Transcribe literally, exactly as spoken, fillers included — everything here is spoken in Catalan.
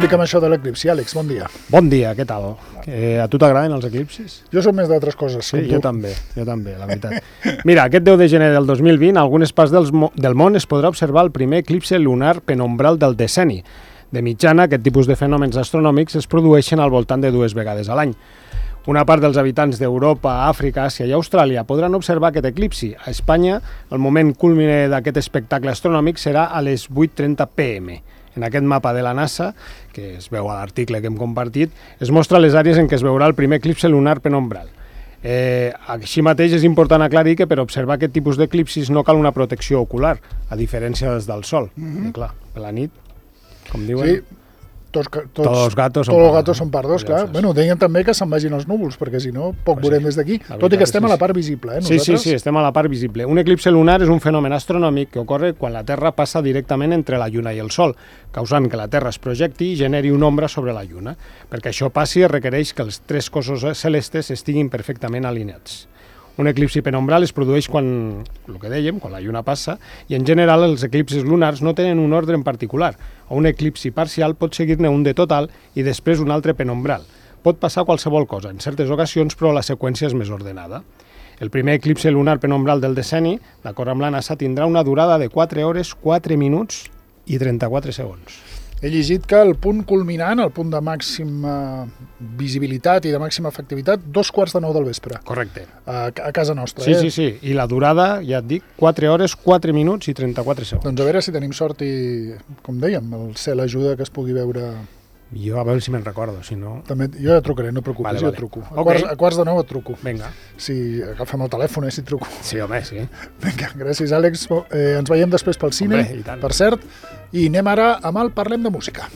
Explica'm això de l'eclipsi, Àlex, bon dia. Bon dia, què tal? Eh, a tu t'agraden els eclipsis? Jo soc més d'altres coses, Sí, com jo tu. també, jo també, la veritat. Mira, aquest deu de gener del dos mil vint, a algunes parts dels mo del món es podrà observar el primer eclipsi lunar penombral del decenni. De mitjana, aquest tipus de fenòmens astronòmics es produeixen al voltant de dues vegades a l'any. Una part dels habitants d'Europa, Àfrica, Àsia i Austràlia podran observar aquest eclipsi. A Espanya, el moment culmine d'aquest espectacle astronòmic serà a les vuit trenta pe eme. En aquest mapa de la NASA, que es veu a l'article que hem compartit, es mostra les àrees en què es veurà el primer eclipsi lunar penombral. Eh, així mateix és important aclarir que per observar aquest tipus d'eclipsis no cal una protecció ocular, a diferència dels del Sol. Mm-hmm. I clar, per la nit, com diuen... Sí, tots, tots, Tots els gatos són tots els pardos. gatos són pardos, Ja clar. saps. Bueno, deien també que se'n vagin els núvols, perquè si no, poc Pues veurem sí, des d'aquí. la Tot i que veritat estem és a la que part visible, eh, Sí, nosaltres. sí, sí, estem a la part visible. Un eclipsi lunar és un fenomen astronòmic que ocorre quan la Terra passa directament entre la Lluna i el Sol, causant que la Terra es projecti i generi una ombra sobre la Lluna. Perquè això passi es requereix que els tres cossos celestes estiguin perfectament alineats. Un eclipsi penombral es produeix quan, el que dèiem, quan la Lluna passa, i en general els eclipsis lunars no tenen un ordre en particular. A un eclipsi parcial pot seguir-ne un de total i després un altre penombral. Pot passar qualsevol cosa, en certes ocasions, però la seqüència és més ordenada. El primer eclipsi lunar penombral del decenni, d'acord amb la NASA, tindrà una durada de quatre hores, quatre minuts i trenta-quatre segons. He llegit que el punt culminant, el punt de màxima visibilitat i de màxima efectivitat, dos quarts de nou del vespre, Correcte. a, a casa nostra. Sí, eh? sí, sí. I la durada, ja et dic, quatre hores, quatre minuts i trenta-quatre segons. Doncs a veure si tenim sort i, com dèiem, el cel ajuda que es pugui veure... Jo a veure si me'n recordo, si no... També, jo ja trucaré, no et preocupis, Vale, jo vale. et truco. A, Ok. quarts, a quarts de nou et truco. Vinga. Si agafem el telèfon, eh, si et truco. Sí, home, sí. Vinga, gràcies, Àlex. Eh, ens veiem després pel cine, Hombre, i tant. per cert, i anem ara amb el Parlem de Música.